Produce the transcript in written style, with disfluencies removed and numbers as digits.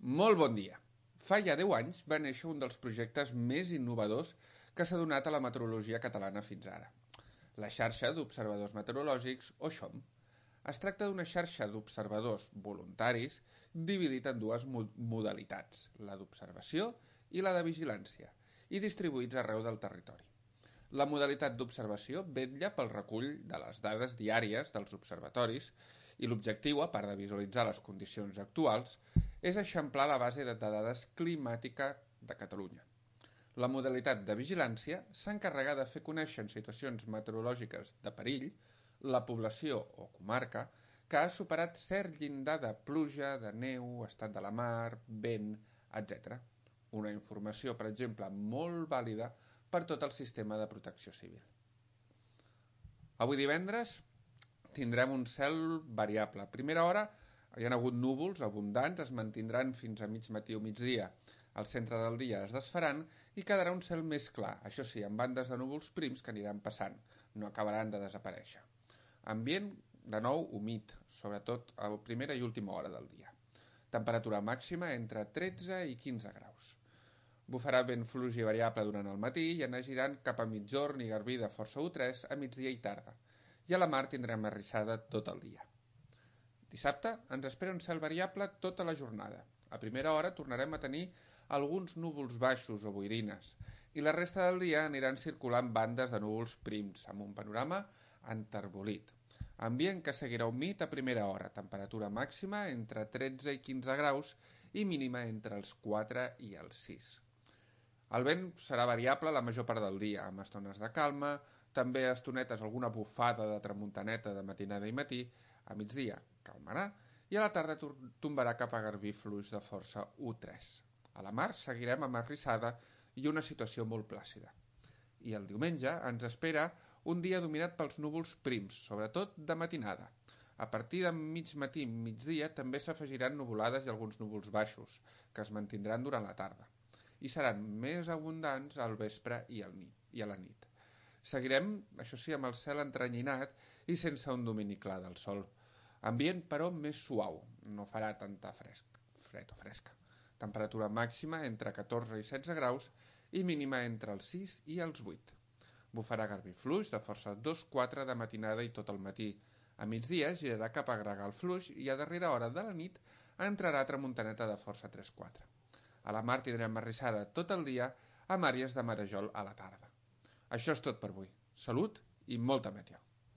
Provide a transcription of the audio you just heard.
Molt bon dia. Fa ja 10 anys va néixer un dels projectes més innovadors que s'ha donat a la meteorologia catalana fins ara. La xarxa d'observadors meteorològics, o XOM. Es tracta d'una xarxa d'observadors voluntaris dividit en dues modalitats, la d'observació i la de vigilància, i distribuïts arreu del territori. La modalitat d'observació vetlla pel recull de les dades diàries dels observatoris i l'objectiu, a part de visualitzar les condicions actuals, és eixamplar la base de dades climàtica de Catalunya. La modalitat de vigilància s'encarrega de fer conèixer en situacions meteorològiques de perill la població o comarca que ha superat cert llindar de pluja, de neu, estat de la mar, vent, etc. Una informació, per exemple, molt vàlida per tot el sistema de protecció civil. Avui divendres tindrem un cel variable. A primera hora hi ha hagut núvols abundants, es mantindran fins a mig matí o migdia. Al centre del dia es desfaran i quedarà un cel més clar, això sí, amb bandes de núvols prims que aniran passant, no acabaran de desaparèixer. Ambient, de nou, humit, sobretot a primera i última hora del dia. Temperatura màxima entre 13 i 15 graus. Bufarà vent fluix i variable durant el matí i anar girant cap a migjorn i garbí de força U3 a migdia i tarda. I a la mar tindrem arrissada tot el dia. Dissabte ens espera un cel variable tota la jornada. A primera hora tornarem a tenir alguns núvols baixos o boirines i la resta del dia aniran circulant bandes de núvols prims amb un panorama enterbolit. Ambient que seguirà humit a primera hora, temperatura màxima entre 13 i 15 graus i mínima entre els 4 i els 6. El vent serà variable la major part del dia, amb estones de calma, també estonetes alguna bufada de tramuntaneta de matinada i matí, a migdia calmarà i a la tarda tombarà cap a garbí fluix de força U3. A la mar seguirem amb arrissada i una situació molt plàcida. I el diumenge ens espera un dia dominat pels núvols prims, sobretot de matinada. A partir de mig matí i migdia també s'afegiran nuvolades i alguns núvols baixos, que es mantindran durant la tarda i seran més abundants al vespre i a la nit. Seguirem, això sí, amb el cel entrenyinat i sense un domini clar del sol. Ambient, però, més suau, no farà tanta fred o fresca. Temperatura màxima entre 14 i 16 graus i mínima entre els 6 i els 8. Bufarà garbí fluix de força 2-4 de matinada i tot el matí. A migdia girarà cap a gregal fluix i a darrera hora de la nit entrarà tramuntaneta de força 3-4. A la mar tindrem arrissada tot el dia amb àrees de marejol a la tarda. Això és tot per avui. Salut i molta meteo.